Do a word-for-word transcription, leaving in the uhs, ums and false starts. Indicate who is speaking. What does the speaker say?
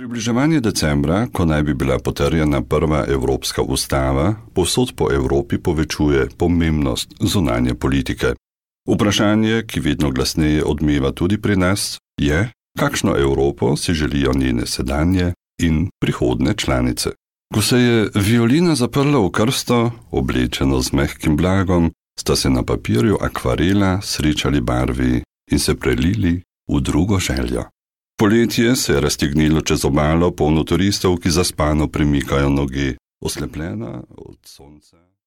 Speaker 1: Približevanje decembra, ko naj bi bila potrjena prva evropska ustava, povsod po Evropi povečuje pomembnost zunanje politike. Vprašanje, ki vedno glasneje odmeva tudi pri nas, je, kakšno Evropo si želijo njene sedanje in prihodne članice. Ko se je violina zaprla v krsto, oblečeno z mehkim blagom, sta se na papirju akvarela srečali barvi in se prelili v drugo željo. Poletje se je raztegnilo čez obalo, polno turistov, ki zaspano premikajo noge, oslepljena od sonca.